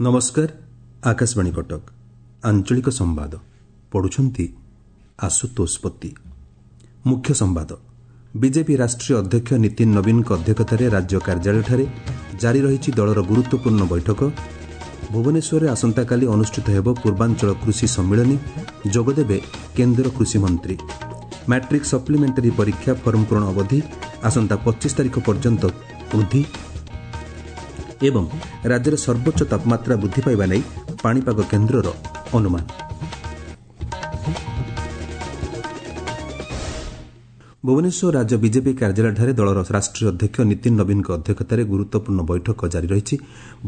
ନମସ୍କାର, ଆକାଶବାଣୀ କଟକ, ଆଞ୍ଚଳିକ ସମ୍ବାଦ ପଢୁଛନ୍ତି ଆଶୁତୋଷ ପତି। ମୁଖ୍ୟ ସମ୍ବାଦ। ବିଜେପି ରାଷ୍ଟ୍ରୀୟ ଅଧ୍ୟକ୍ଷ ନୀତିନ ନବୀନଙ୍କ ଅଧ୍ୟକ୍ଷତାରେ ରାଜ୍ୟ କାର୍ଯ୍ୟାଳୟଠାରେ ଜାରି ରହିଛି ଦଳର ଗୁରୁତ୍ୱପୂର୍ଣ୍ଣ ବୈଠକ। ଭୁବନେଶ୍ୱରରେ ଆସନ୍ତାକାଲି ଅନୁଷ୍ଠିତ ହେବ ପୂର୍ବାଞ୍ଚଳ କୃଷି ସମ୍ମିଳନୀ, ଯୋଗଦେବେ କେନ୍ଦ୍ର କୃଷିମନ୍ତ୍ରୀ। ମାଟ୍ରିକ୍ ସପ୍ଲିମେଣ୍ଟାରୀ ପରୀକ୍ଷା ଫର୍ମ ପୂରଣ ଅବଧି ଆସନ୍ତା 25 ତାରିଖ ପର୍ଯ୍ୟନ୍ତ ବୃଦ୍ଧି ଏବଂ ରାଜ୍ୟରେ ସର୍ବୋଚ୍ଚ ତାପମାତ୍ରା ବୃଦ୍ଧି ପାଇବା ନେଇ ପାଣିପାଗ କେନ୍ଦ୍ରର ଅନୁମାନ। ଭୁବନେଶ୍ୱର ରାଜ୍ୟ ବିଜେପି କାର୍ଯ୍ୟାଳୟଠାରେ ଦଳର ରାଷ୍ଟ୍ରୀୟ ଅଧ୍ୟକ୍ଷ ନୀତିନ ନବୀନଙ୍କ ଅଧ୍ୟକ୍ଷତାରେ ଗୁରୁତ୍ୱପୂର୍ଣ୍ଣ ବୈଠକ ଜାରି ରହିଛି।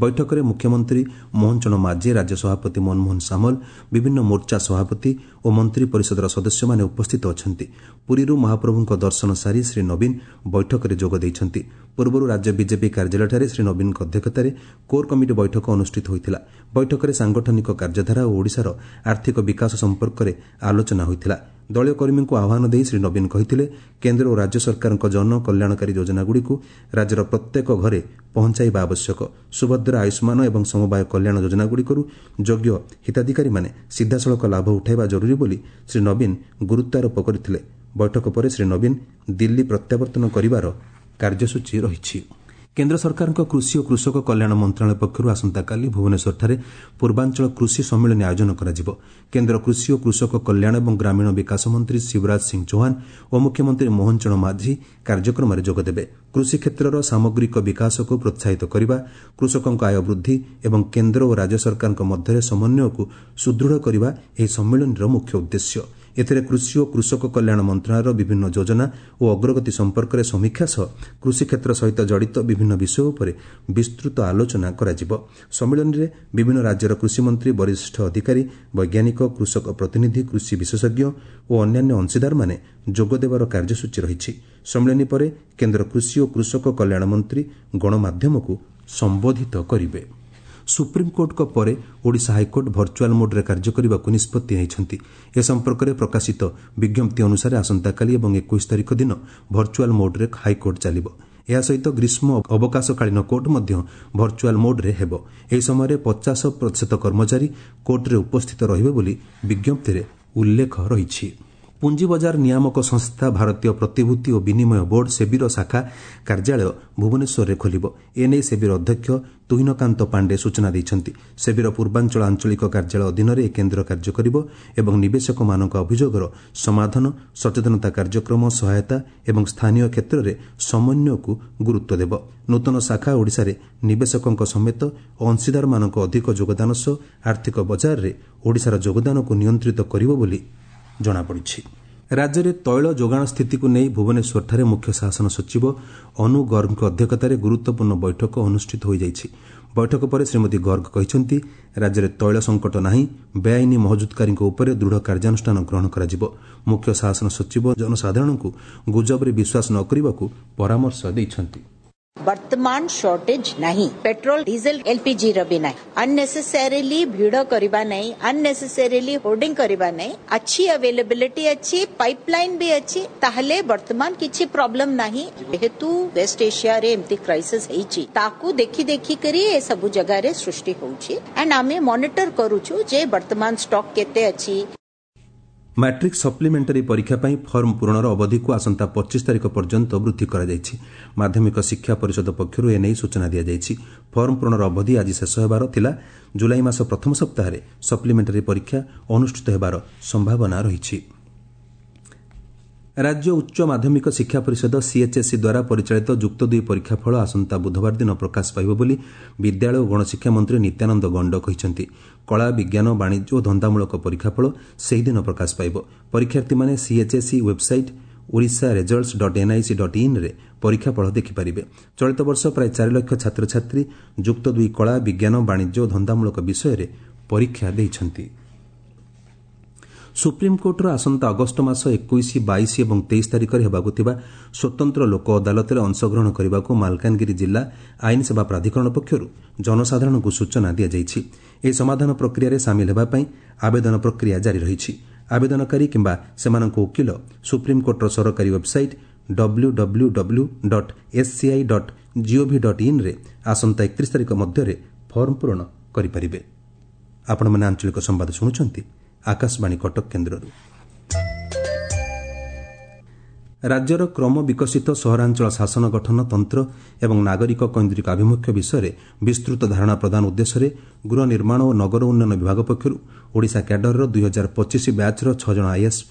ବୈଠକରେ ମୁଖ୍ୟମନ୍ତ୍ରୀ ମୋହନ ଚରଣ ମାଝୀ, ରାଜ୍ୟ ସଭାପତି ମନମୋହନ ସାମଲ, ବିଭିନ୍ନ ମୋର୍ଚ୍ଚା ସଭାପତି ଓ ମନ୍ତ୍ରୀ ପରିଷଦର ସଦସ୍ୟମାନେ ଉପସ୍ଥିତ ଅଛନ୍ତି। ପୁରୀରୁ ମହାପ୍ରଭୁଙ୍କ ଦର୍ଶନ ସାରି ଶ୍ରୀ ନବୀନ ବୈଠକରେ ଯୋଗ ଦେଇଛନ୍ତି। ପୂର୍ବରୁ ରାଜ୍ୟ ବିଜେପି କାର୍ଯ୍ୟାଳୟଠାରେ ଶ୍ରୀ ନବୀନଙ୍କ ଅଧ୍ୟକ୍ଷତାରେ କୋର୍ କମିଟି ବୈଠକ ଅନୁଷ୍ଠିତ ହୋଇଥିଲା। ବୈଠକରେ ସାଂଗଠନିକ କାର୍ଯ୍ୟଧାରା ଓ ଓଡ଼ିଶାର ଆର୍ଥିକ ବିକାଶ ସମ୍ପର୍କରେ ଆଲୋଚନା ହୋଇଥିଲା। ଦଳୀୟ କର୍ମୀଙ୍କୁ ଆହ୍ୱାନ ଦେଇ ଶ୍ରୀ ନବୀନ କହିଥିଲେ, କେନ୍ଦ୍ର ଓ ରାଜ୍ୟ ସରକାରଙ୍କ ଜନକଲ୍ୟାଣକାରୀ ଯୋଜନାଗୁଡ଼ିକୁ ରାଜ୍ୟର ପ୍ରତ୍ୟେକ ଘରେ ପହଞ୍ଚାଇବା ଆବଶ୍ୟକ। ସୁଭଦ୍ରା, ଆୟୁଷ୍ମାନ ଏବଂ ସମବାୟ କଲ୍ୟାଣ ଯୋଜନାଗୁଡ଼ିକରୁ ଯୋଗ୍ୟ ହିତାଧିକାରୀମାନେ ସିଧାସଳଖ ଲାଭ ଉଠାଇବା ଜରୁରୀ ବୋଲି ଶ୍ରୀ ନବୀନ ଗୁରୁତ୍ୱାରୋପ କରିଥିଲେ। ବୈଠକ ପରେ ଶ୍ରୀ ନବୀନ ଦିଲ୍ଲୀ ପ୍ରତ୍ୟାବର୍ତ୍ତନ କରିବାର କାର୍ଯ୍ୟସୂଚୀ ରହିଛି। କେନ୍ଦ୍ର ସରକାରଙ୍କ କୃଷି ଓ କୃଷକ କଲ୍ୟାଣ ମନ୍ତ୍ରଣାଳୟ ପକ୍ଷରୁ ଆସନ୍ତାକାଲି ଭୁବନେଶ୍ୱରଠାରେ ପୂର୍ବାଞ୍ଚଳ କୃଷି ସମ୍ମିଳନୀ ଆୟୋଜନ କରାଯିବ। କେନ୍ଦ୍ର କୃଷି ଓ କୃଷକ କଲ୍ୟାଣ ଏବଂ ଗ୍ରାମୀଣ ବିକାଶ ମନ୍ତ୍ରୀ ଶିବରାଜ ସିଂ ଚୌହାନ ଓ ମୁଖ୍ୟମନ୍ତ୍ରୀ ମୋହନ ଚରଣ ମାଝୀ କାର୍ଯ୍ୟକ୍ରମରେ ଯୋଗଦେବେ। କୃଷି କ୍ଷେତ୍ରର ସାମଗ୍ରିକ ବିକାଶକୁ ପ୍ରୋତ୍ସାହିତ କରିବା, କୃଷକଙ୍କ ଆୟ ବୃଦ୍ଧି ଏବଂ କେନ୍ଦ୍ର ଓ ରାଜ୍ୟ ସରକାରଙ୍କ ମଧ୍ୟରେ ସମନ୍ୱୟକୁ ସୁଦୃଢ଼ କରିବା ଏହି ସମ୍ମିଳନୀର ମୁଖ୍ୟ ଉଦ୍ଦେଶ୍ୟ। ଏଥିରେ କୃଷି ଓ କୃଷକ କଲ୍ୟାଣ ମନ୍ତ୍ରଣାଳୟର ବିଭିନ୍ନ ଯୋଜନା ଓ ଅଗ୍ରଗତି ସମ୍ପର୍କରେ ସମୀକ୍ଷା ସହ କୃଷି କ୍ଷେତ୍ର ସହିତ ଜଡ଼ିତ ବିଭିନ୍ନ ବିଷୟ ଉପରେ ବିସ୍ତୃତ ଆଲୋଚନା କରାଯିବ। ସମ୍ମିଳନୀରେ ବିଭିନ୍ନ ରାଜ୍ୟର କୃଷିମନ୍ତ୍ରୀ, ବରିଷ୍ଠ ଅଧିକାରୀ, ବୈଜ୍ଞାନିକ, କୃଷକ ପ୍ରତିନିଧି, କୃଷି ବିଶେଷଜ୍ଞ ଓ ଅନ୍ୟାନ୍ୟ ଅଂଶୀଦାରମାନେ ଯୋଗଦେବାର କାର୍ଯ୍ୟସୂଚୀ ରହିଛି। ସମ୍ମିଳନୀ ପରେ କେନ୍ଦ୍ର କୃଷି ଓ କୃଷକ କଲ୍ୟାଣ ମନ୍ତ୍ରୀ ଗଣମାଧ୍ୟମକୁ ସମ୍ବୋଧିତ କରିବେ। ସୁପ୍ରିମକୋର୍ଟଙ୍କ ପରେ ଓଡ଼ିଶା ହାଇକୋର୍ଟ ଭର୍ଚୁଆଲ୍ ମୋଡ୍ରେ କାର୍ଯ୍ୟ କରିବାକୁ ନିଷ୍ପତ୍ତି ନେଇଛନ୍ତି। ଏ ସମ୍ପର୍କରେ ପ୍ରକାଶିତ ବିଜ୍ଞପ୍ତି ଅନୁସାରେ ଆସନ୍ତାକାଲି ଏବଂ 21 ତାରିଖ ଦିନ ଭର୍ଚୁଆଲ୍ ମୋଡ୍ରେ ହାଇକୋର୍ଟ ଚାଲିବ। ଏହା ସହିତ ଗ୍ରୀଷ୍ମ ଅବକାଶକାଳୀନ କୋର୍ଟ ମଧ୍ୟ ଭର୍ଚୁଆଲ୍ ମୋଡ୍ରେ ହେବ। ଏହି ସମୟରେ 50% କର୍ମଚାରୀ କୋର୍ଟରେ ଉପସ୍ଥିତ ରହିବେ ବୋଲି ବିଜ୍ଞପ୍ତିରେ ଉଲ୍ଲେଖ ରହିଛି। ପୁଞ୍ଜିବଜାର ନିୟାମକ ସଂସ୍ଥା ଭାରତୀୟ ପ୍ରତିଭୂତି ଓ ବିନିମୟ ବୋର୍ଡ ସେବିର ଶାଖା କାର୍ଯ୍ୟାଳୟ ଭୁବନେଶ୍ୱରରେ ଖୋଲିବ। ଏନେଇ ସେବିର ଅଧ୍ୟକ୍ଷ ତୁହିନକାନ୍ତ ପାଣ୍ଡେ ସୂଚନା ଦେଇଛନ୍ତି। ସେବିର ପୂର୍ବାଞ୍ଚଳ ଆଞ୍ଚଳିକ କାର୍ଯ୍ୟାଳୟ ଅଧୀନରେ ଏହି କେନ୍ଦ୍ର କାର୍ଯ୍ୟ କରିବ ଏବଂ ନିବେଶକମାନଙ୍କ ଅଭିଯୋଗର ସମାଧାନ, ସଚେତନତା କାର୍ଯ୍ୟକ୍ରମ, ସହାୟତା ଏବଂ ସ୍ଥାନୀୟ କ୍ଷେତ୍ରରେ ସମନ୍ୱୟକୁ ଗୁରୁତ୍ୱ ଦେବ। ନୂତନ ଶାଖା ଓଡ଼ିଶାରେ ନିବେଶକଙ୍କ ସମେତ ଅଂଶୀଦାରମାନଙ୍କ ଅଧିକ ଯୋଗଦାନ ସହ ଆର୍ଥିକ ବଜାରରେ ଓଡ଼ିଶାର ଯୋଗଦାନକୁ ନିୟନ୍ତ୍ରିତ କରିବ ବୋଲି ଜଣାପଡ଼ିଛି। ରାଜ୍ୟରେ ତୈଳ ଯୋଗାଣ ସ୍ଥିତିକୁ ନେଇ ଭୁବନେଶ୍ୱରଠାରେ ମୁଖ୍ୟ ଶାସନ ସଚିବ ଅନୁ ଗର୍ଗଙ୍କ ଅଧ୍ୟକ୍ଷତାରେ ଗୁରୁତ୍ୱପୂର୍ଣ୍ଣ ବୈଠକ ଅନୁଷ୍ଠିତ ହୋଇଯାଇଛି। ବୈଠକ ପରେ ଶ୍ରୀମତୀ ଗର୍ଗ କହିଛନ୍ତି, ରାଜ୍ୟରେ ତୈଳ ସଙ୍କଟ ନାହିଁ, ବେଆଇନ ମହଜୁଦକାରୀଙ୍କ ଉପରେ ଦୃଢ଼ କାର୍ଯ୍ୟାନୁଷ୍ଠାନ ଗ୍ରହଣ କରାଯିବ। ମୁଖ୍ୟ ଶାସନ ସଚିବ ଜନସାଧାରଣଙ୍କୁ ଗୁଜବରେ ବିଶ୍ୱାସ ନ କରିବାକୁ ପରାମର୍ଶ ଦେଇଛନ୍ତି। ବର୍ତ୍ତମାନ ସର୍ଟେଜ ନାହିଁ, ପେଟ୍ରୋଲ, ଡିଜେଲ, ଏଲପିଜି ର ବି ନାହିଁ। ଅନନେସେସାରିଲି ଭିଡ଼ କରିବା ନାହିଁ, ଅନନେସେସାରିଲି ହୋର୍ଡିଂ କରିବା ନାହିଁ। ଅଛି, ଆଭେଲେବିଲିଟି ଅଛି, ପାଇପଲାଇନ ବି ଅଛି, ତାହେଲେ ବର୍ତ୍ତମାନ କିଛି ପ୍ରୋବ୍ଲେମ ନାହିଁ। ଯେହେତୁ ୱେଷ୍ଟ ଏସିଆରେ ଏମିତି କ୍ରାଇସିସ୍ ହେଇଛି, ତାକୁ ଦେଖି ଦେଖିକରି ଏ ସବୁ ଜାଗାରେ ସୃଷ୍ଟି ହଉଛି। ଆଣ୍ଡ ଆମେ ମନିଟର କରୁଛୁ ଯେ ବର୍ତ୍ତମାନ ଷ୍ଟକ୍ କେତେ ଅଛି। ମାଟ୍ରିକ୍ ସପ୍ଲିମେଣ୍ଟାରୀ ପରୀକ୍ଷା ପାଇଁ ଫର୍ମ ପୂରଣର ଅବଧିକୁ ଆସନ୍ତା 25 ତାରିଖ ପର୍ଯ୍ୟନ୍ତ ବୃଦ୍ଧି କରାଯାଇଛି। ମାଧ୍ୟମିକ ଶିକ୍ଷା ପରିଷଦ ପକ୍ଷରୁ ଏନେଇ ସୂଚନା ଦିଆଯାଇଛି। ଫର୍ମ ପୂରଣର ଅବଧି ଆଜି ଶେଷ ହେବାର ଥିଲା। ଜୁଲାଇ ମାସ ପ୍ରଥମ ସପ୍ତାହରେ ସପ୍ଲିମେଣ୍ଟାରୀ ପରୀକ୍ଷା ଅନୁଷ୍ଠିତ ହେବାର ସମ୍ଭାବନା ରହିଛି। ରାଜ୍ୟ ଉଚ୍ଚ ମାଧ୍ୟମିକ ଶିକ୍ଷା ପରିଷଦ ସିଏଚ୍ଏସ୍ଇ ଦ୍ୱାରା ପରିଚାଳିତ ଯୁକ୍ତ ଦୁଇ ପରୀକ୍ଷା ଫଳ ଆସନ୍ତା ବୁଧବାର ଦିନ ପ୍ରକାଶ ପାଇବ ବୋଲି ବିଦ୍ୟାଳୟ ଓ ଗଣଶିକ୍ଷା ମନ୍ତ୍ରୀ ନିତ୍ୟାନନ୍ଦ ଗଣ୍ଡ କହିଛନ୍ତି। କଳା, ବିଜ୍ଞାନ, ବାଣିଜ୍ୟ ଓ ଧନ୍ଦାମୂଳକ ପରୀକ୍ଷାଫଳ ସେହିଦିନ ପ୍ରକାଶ ପାଇବ। ପରୀକ୍ଷାର୍ଥୀମାନେ CHSE website Odisha results dot NIC dot ଇନ୍ରେ ପରୀକ୍ଷାଫଳ ଦେଖିପାରିବେ। ଚଳିତ ବର୍ଷ ପ୍ରାୟ 4 ଲକ୍ଷ ଛାତ୍ରଛାତ୍ରୀ ଯୁକ୍ତ ଦୁଇ କଳା, ବିଜ୍ଞାନ, ବାଣିଜ୍ୟ ଓ ଧନ୍ଦାମୂଳକ ବିଷୟରେ ପରୀକ୍ଷା ଦେଇଛନ୍ତି। ସୁପ୍ରିମକୋର୍ଟର ଆସନ୍ତା ଅଗଷ୍ଟ ମାସ 21, 22 ଏବଂ 23 ତାରିଖରେ ହେବାକୁ ଥିବା ସ୍ୱତନ୍ତ୍ର ଲୋକ ଅଦାଲତରେ ଅଂଶଗ୍ରହଣ କରିବାକୁ ମାଲକାନଗିରି ଜିଲ୍ଲା ଆଇନ ସେବା ପ୍ରାଧିକରଣ ପକ୍ଷରୁ ଜନସାଧାରଣଙ୍କୁ ସୂଚନା ଦିଆଯାଇଛି। ଏହି ସମାଧାନ ପ୍ରକ୍ରିୟାରେ ସାମିଲ ହେବା ପାଇଁ ଆବେଦନ ପ୍ରକ୍ରିୟା ଜାରି ରହିଛି। ଆବେଦନକାରୀ କିମ୍ବା ସେମାନଙ୍କ ଓକିଲ ସୁପ୍ରିମକୋର୍ଟର ସରକାରୀ ୱେବ୍ସାଇଟ୍ www.sci.gov.inରେ ଆସନ୍ତା 31 ତାରିଖ ମଧ୍ୟରେ ଫର୍ମ ପୂରଣ କରିପାରିବେ। ଆପଣମାନେ ଆଞ୍ଚଳିକ ସମ୍ବାଦ ଶୁଣୁଛନ୍ତି ଆକାଶବାଣୀ କଟକ କେନ୍ଦ୍ରରୁ। ରାଜ୍ୟର କ୍ରମ ବିକଶିତ ସହରାଞ୍ଚଳ ଶାସନ ଗଠନ ତନ୍ତ୍ର ଏବଂ ନାଗରିକ କୈନ୍ଦ୍ରିକ ଆଭିମୁଖ୍ୟ ବିଷୟରେ ବିସ୍ତୃତ ଧାରଣା ପ୍ରଦାନ ଉଦ୍ଦେଶ୍ୟରେ ଗୃହ ନିର୍ମାଣ ଓ ନଗର ଉନ୍ନୟନ ବିଭାଗ ପକ୍ଷରୁ ଓଡ଼ିଶା କ୍ୟାଡରର 2025 ବ୍ୟାଚ୍ର 6 ଜଣ ଆଇଏଏସ୍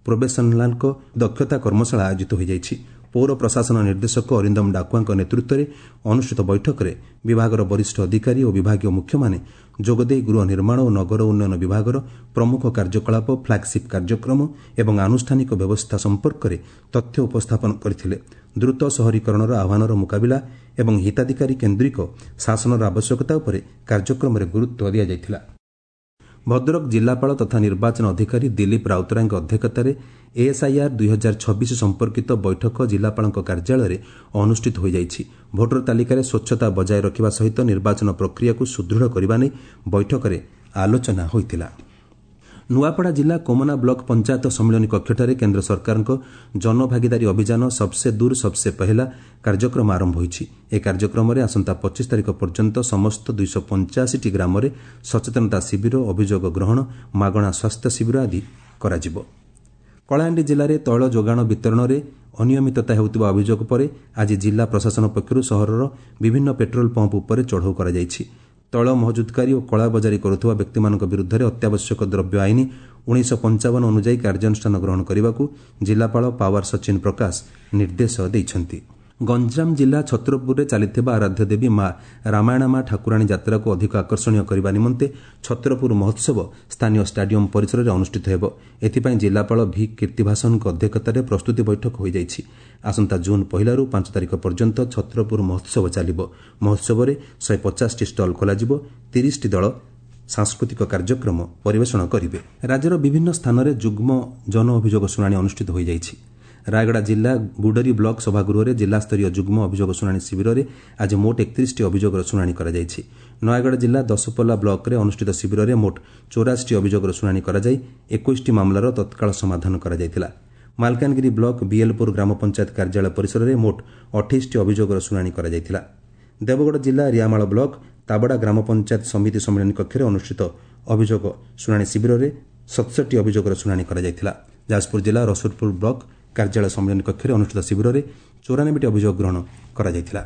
ପ୍ରୋବେସନାଲଙ୍କ ଦକ୍ଷତା କର୍ମଶାଳା ଆୟୋଜିତ ହୋଇଯାଇଛି। ପୌର ପ୍ରଶାସନ ନିର୍ଦ୍ଦେଶକ ଅରିନ୍ଦମ ଡାକୁଆଙ୍କ ନେତୃତ୍ୱରେ ଅନୁଷ୍ଠିତ ବୈଠକରେ ବିଭାଗର ବରିଷ୍ଠ ଅଧିକାରୀ ଓ ବିଭାଗୀୟ ମୁଖ୍ୟମାନେ ଯୋଗଦେଇ ଗୃହ ନିର୍ମାଣ ଓ ନଗର ଉନ୍ନୟନ ବିଭାଗର ପ୍ରମୁଖ କାର୍ଯ୍ୟକଳାପ, ଫ୍ଲାଗସିପ୍ କାର୍ଯ୍ୟକ୍ରମ ଏବଂ ଆନୁଷ୍ଠାନିକ ବ୍ୟବସ୍ଥା ସମ୍ପର୍କରେ ତଥ୍ୟ ଉପସ୍ଥାପନ କରିଥିଲେ। ଦ୍ରୁତ ସହରୀକରଣର ଆହ୍ୱାନର ମୁକାବିଲା ଏବଂ ହିତାଧିକାରୀ କେନ୍ଦ୍ରିକ ଶାସନର ଆବଶ୍ୟକତା ଉପରେ କାର୍ଯ୍ୟକ୍ରମରେ ଗୁରୁତ୍ୱ ଦିଆଯାଇଥିଲା। ଭଦ୍ରକ ଜିଲ୍ଲାପାଳ ତଥା ନିର୍ବାଚନ ଅଧିକାରୀ ଦିଲ୍ଲୀପ ରାଉତରାୟଙ୍କ ଅଧ୍ୟକ୍ଷତାରେ ଏଏସ୍ଆଇଆର୍ 2026 ସମ୍ପର୍କିତ ବୈଠକ ଜିଲ୍ଲାପାଳଙ୍କ କାର୍ଯ୍ୟାଳୟରେ ଅନୁଷ୍ଠିତ ହୋଇଯାଇଛି। ଭୋଟର ତାଲିକାରେ ସ୍ୱଚ୍ଛତା ବଜାୟ ରଖିବା ସହିତ ନିର୍ବାଚନ ପ୍ରକ୍ରିୟାକୁ ସୁଦୃଢ଼ କରିବା ନେଇ ବୈଠକରେ ଆଲୋଚନା ହୋଇଥିଲା। ନୂଆପଡ଼ା ଜିଲ୍ଲା କୋମନା ବ୍ଲକ ପଞ୍ଚାୟତ ସମ୍ମିଳନୀ କକ୍ଷଠାରେ କେନ୍ଦ୍ର ସରକାରଙ୍କ ଜନଭାଗିଦାରୀ ଅଭିଯାନ ସବସେ ଦୂର ସବସେ ପହେଲା କାର୍ଯ୍ୟକ୍ରମ ଆରମ୍ଭ ହୋଇଛି। ଏହି କାର୍ଯ୍ୟକ୍ରମରେ ଆସନ୍ତା 25 ତାରିଖ ପର୍ଯ୍ୟନ୍ତ ସମସ୍ତ 285ଟି ଗ୍ରାମରେ ସଚେତନତା ଶିବିର, ଅଭିଯୋଗ ଗ୍ରହଣ, ମାଗଣା ସ୍ୱାସ୍ଥ୍ୟ ଶିବିର ଆଦି କରାଯିବ। କଳାହାଣ୍ଡି ଜିଲ୍ଲାରେ ତୈଳ ଯୋଗାଣ ବିତରଣରେ ଅନିୟମିତତା ହେଉଥିବା ଅଭିଯୋଗ ପରେ ଆଜି ଜିଲ୍ଲା ପ୍ରଶାସନ ପକ୍ଷରୁ ସହରର ବିଭିନ୍ନ ପେଟ୍ରୋଲ ପମ୍ପ ଉପରେ ଚଢ଼ଉ କରାଯାଇଛି। ତୈଳ ମହଜୁଦକାରୀ ଓ କଳାବଜାରୀ କରୁଥିବା ବ୍ୟକ୍ତିମାନଙ୍କ ବିରୁଦ୍ଧରେ ଅତ୍ୟାବଶ୍ୟକ ଦ୍ରବ୍ୟ ଆଇନ 1955 ଅନୁଯାୟୀ କାର୍ଯ୍ୟାନୁଷ୍ଠାନ ଗ୍ରହଣ କରିବାକୁ ଜିଲ୍ଲାପାଳ ପାୱାର ସଚିନ ପ୍ରକାଶ ନିର୍ଦ୍ଦେଶ ଦେଇଛନ୍ତି। ଗଞ୍ଜାମ ଜିଲ୍ଲା ଛତ୍ରପୁରରେ ଚାଲିଥିବା ଆରାଧ୍ୟ ଦେବୀ ମା ରାମାୟଣ ମା ଠାକୁରାଣୀ ଯାତ୍ରାକୁ ଅଧିକ ଆକର୍ଷଣୀୟ କରିବା ନିମନ୍ତେ ଛତ୍ରପୁର ମହୋତ୍ସବ ସ୍ଥାନୀୟ ଷ୍ଟାଡିୟମ ପରିସରରେ ଅନୁଷ୍ଠିତ ହେବ। ଏଥିପାଇଁ ଜିଲ୍ଲାପାଳ ଭି କୀର୍ତ୍ତିଭାସନଙ୍କ ଅଧ୍ୟକ୍ଷତାରେ ପ୍ରସ୍ତୁତି ବୈଠକ ହୋଇଯାଇଛି। ଆସନ୍ତା ଜୁନ୍ 1ରୁ 5 ତାରିଖ ପର୍ଯ୍ୟନ୍ତ ଛତ୍ରପୁର ମହୋତ୍ସବ ଚାଲିବ। ମହୋତ୍ସବରେ 150ଟି ଷ୍ଟଲ୍ ଖୋଲାଯିବ। 30ଟି ଦଳ ସାଂସ୍କୃତିକ କାର୍ଯ୍ୟକ୍ରମ ପରିବେଷଣ କରିବେ। ରାଜ୍ୟର ବିଭିନ୍ନ ସ୍ଥାନରେ ଯୁଗ୍ମ ଜନ ଅଭିଯୋଗ ଶୁଣାଣି ଅନୁଷ୍ଠିତ ହୋଇଯାଇଛି। ରାୟଗଡ଼ା ଜିଲ୍ଲା ଗୁଡରୀ ବ୍ଲକ ସଭାଗୃହରେ ଜିଲ୍ଲାସ୍ତରୀୟ ଯୁଗ୍ମ ଅଭିଯୋଗ ଶୁଣାଣି ଶିବିରରେ ଆଜି ମୋଟ 31ଟି ଅଭିଯୋଗର ଶୁଣାଣି କରାଯାଇଛି। ନୟାଗଡ଼ ଜିଲ୍ଲା ଦଶପଲ୍ଲା ବ୍ଲକରେ ଅନୁଷ୍ଠିତ ଶିବିରରେ ମୋଟ 84ଟି ଅଭିଯୋଗର ଶୁଣାଣି କରାଯାଇ 21ଟି ମାମଲାର ତତ୍କାଳ ସମାଧାନ କରାଯାଇଥିଲା। ମାଲକାନଗିରି ବ୍ଲକ ବିଏଲପୁର ଗ୍ରାମ ପଞ୍ଚାୟତ କାର୍ଯ୍ୟାଳୟ ପରିସରରେ ମୋଟ 28ଟି ଅଭିଯୋଗର ଶୁଣାଣି କରାଯାଇଥିଲା। ଦେବଗଡ଼ ଜିଲ୍ଲା ରିଆମାଳ ବ୍ଲକ ତାବଡ଼ା ଗ୍ରାମ ପଞ୍ଚାୟତ ସମିତି ସମ୍ମିଳନୀ କକ୍ଷରେ ଅନୁଷ୍ଠିତ ଅଭିଯୋଗ ଶୁଣାଣି ଶିବିରରେ 67ଟି ଅଭିଯୋଗର ଶୁଣାଣି କରାଯାଇଥିଲା। ଯାଜପୁର ଜିଲ୍ଲା ରସୁଲପୁର ବ୍ଲକ କାର୍ଯ୍ୟାଳୟ ସମ୍ମିଳନୀ କକ୍ଷରେ ଅନୁଷ୍ଠିତ ଶିବିରରେ 94ଟି ଅଭିଯୋଗ ଗ୍ରହଣ କରାଯାଇଥିଲା।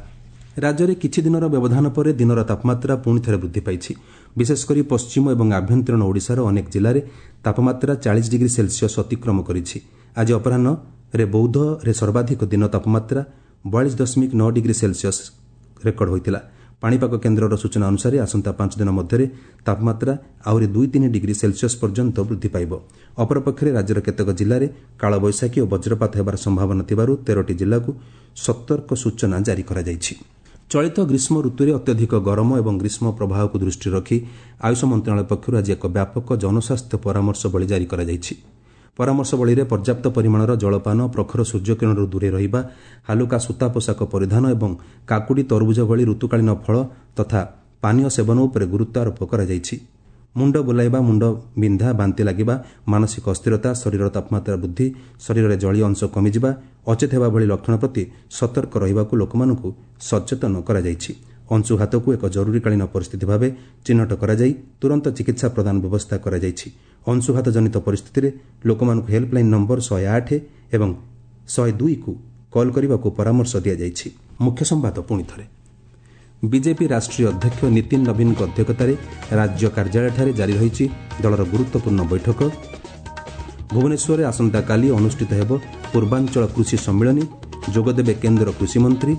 ରାଜ୍ୟରେ କିଛି ଦିନର ବ୍ୟବଧାନ ପରେ ଦିନର ତାପମାତ୍ରା ପୁଣି ଥରେ ବୃଦ୍ଧି ପାଇଛି। ବିଶେଷକରି ପଶ୍ଚିମ ଏବଂ ଆଭ୍ୟନ୍ତରୀଣ ଓଡ଼ିଶାର ଅନେକ ଜିଲ୍ଲାରେ ତାପମାତ୍ରା 40 ଡିଗ୍ରୀ ସେଲସିୟସ୍ ଅତିକ୍ରମ କରିଛି। ଆଜି ଅପରାହ୍ନରେ ବୌଦ୍ଧରେ ସର୍ବାଧିକ ଦିନ ତାପମାତ୍ରା 42.9 ଡିଗ୍ରୀ ସେଲସିୟସ୍ ରେକର୍ଡ ହୋଇଥିଲା। ପାଣିପାଗ କେନ୍ଦ୍ରର ସୂଚନା ଅନୁସାରେ ଆସନ୍ତା 5 ଦିନ ମଧ୍ୟରେ ତାପମାତ୍ରା ଆହୁରି 2-3 ଡିଗ୍ରୀ ସେଲସିୟସ୍ ପର୍ଯ୍ୟନ୍ତ ବୃଦ୍ଧି ପାଇବ। ଅପରପକ୍ଷରେ ରାଜ୍ୟର କେତେକ ଜିଲ୍ଲାରେ କାଳବୈଶାଖୀ ଓ ବଜ୍ରପାତ ହେବାର ସମ୍ଭାବନା ଥିବାରୁ 13ଟି ଜିଲ୍ଲାକୁ ସତର୍କ ସୂଚନା ଜାରି କରାଯାଇଛି। ଚଳିତ ଗ୍ରୀଷ୍ମ ଋତୁରେ ଅତ୍ୟଧିକ ଗରମ ଏବଂ ଗ୍ରୀଷ୍ମ ପ୍ରବାହକୁ ଦୃଷ୍ଟିରେ ରଖି ଆୟୁଷ ମନ୍ତ୍ରଣାଳୟ ପକ୍ଷରୁ ଆଜି ଏକ ବ୍ୟାପକ ଜନସ୍ୱାସ୍ଥ୍ୟ ପରାମର୍ଶବଳୀ ଜାରି କରାଯାଇଛି। ପରାମର୍ଶବଳୀରେ ପର୍ଯ୍ୟାପ୍ତ ପରିମାଣର ଜଳପାନ, ପ୍ରଖର ସୂର୍ଯ୍ୟକିରଣରୁ ଦୂରେଇ ରହିବା, ହାଲୁକା ସୂତା ପୋଷାକ ପରିଧାନ ଏବଂ କାକୁଡ଼ି, ତରଭୁଜ ଭଳି ଋତୁକାଳୀନ ଫଳ ତଥା ପାନୀୟ ସେବନ ଉପରେ ଗୁରୁତ୍ୱ ଆରୋପ କରାଯାଇଛି। ମୁଣ୍ଡ ବୁଲାଇବା, ମୁଣ୍ଡ ବିନ୍ଧା, ବାନ୍ତି ଲାଗିବା, ମାନସିକ ଅସ୍ଥିରତା, ଶରୀରର ତାପମାତ୍ରା ବୃଦ୍ଧି, ଶରୀରରେ ଜଳୀୟ ଅଂଶ କମିଯିବା, ଅଚେତ ହେବା ଭଳି ଲକ୍ଷଣ ପ୍ରତି ସତର୍କ ରହିବାକୁ ଲୋକମାନଙ୍କୁ ସଚେତନ କରାଯାଇଛି। ଅଂଶୁଘାତକୁ ଏକ ଜରୁରୀକାଳୀନ ପରିସ୍ଥିତି ଭାବେ ଚିହ୍ନଟ କରାଯାଇ ତୁରନ୍ତ ଚିକିତ୍ସା ପ୍ରଦାନ ବ୍ୟବସ୍ଥା କରାଯାଇଛି। ଅଂଶୁଘାତ ଜନିତ ପରିସ୍ଥିତିରେ ଲୋକମାନଙ୍କୁ ହେଲ୍ପଲାଇନ୍ ନମ୍ବର 108 ଏବଂ 102କୁ କଲ୍ କରିବାକୁ ପରାମର୍ଶ ଦିଆଯାଇଛି। ମୁଖ୍ୟ ସମ୍ବାଦ ପୁଣି ଥରେ। ବିଜେପି ରାଷ୍ଟ୍ରୀୟ ଅଧ୍ୟକ୍ଷ ନୀତିନ ନବୀନଙ୍କ ଅଧ୍ୟକ୍ଷତାରେ ରାଜ୍ୟ କାର୍ଯ୍ୟାଳୟଠାରେ ଜାରି ରହିଛି ଦଳର ଗୁରୁତ୍ୱପୂର୍ଣ୍ଣ ବୈଠକ। ଭୁବନେଶ୍ୱରରେ ଆସନ୍ତାକାଲି ଅନୁଷ୍ଠିତ ହେବ ପୂର୍ବାଞ୍ଚଳ କୃଷି ସମ୍ମିଳନୀ, ଯୋଗଦେବେ କେନ୍ଦ୍ର କୃଷିମନ୍ତ୍ରୀ।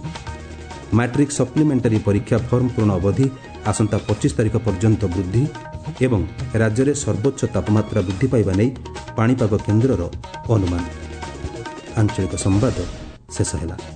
ମାଟ୍ରିକ୍ ସପ୍ଲିମେଣ୍ଟାରୀ ପରୀକ୍ଷା ଫର୍ମ ପୂରଣ ଅବଧି ଆସନ୍ତା 25 ତାରିଖ ପର୍ଯ୍ୟନ୍ତ ବୃଦ୍ଧି ଏବଂ ରାଜ୍ୟରେ ସର୍ବୋଚ୍ଚ ତାପମାତ୍ରା ବୃଦ୍ଧି ପାଇବା ନେଇ ପାଣିପାଗ କେନ୍ଦ୍ରର ଅନୁମାନ। ଆଞ୍ଚଳିକ ସମ୍ବାଦ ଶେଷ ହେଲା।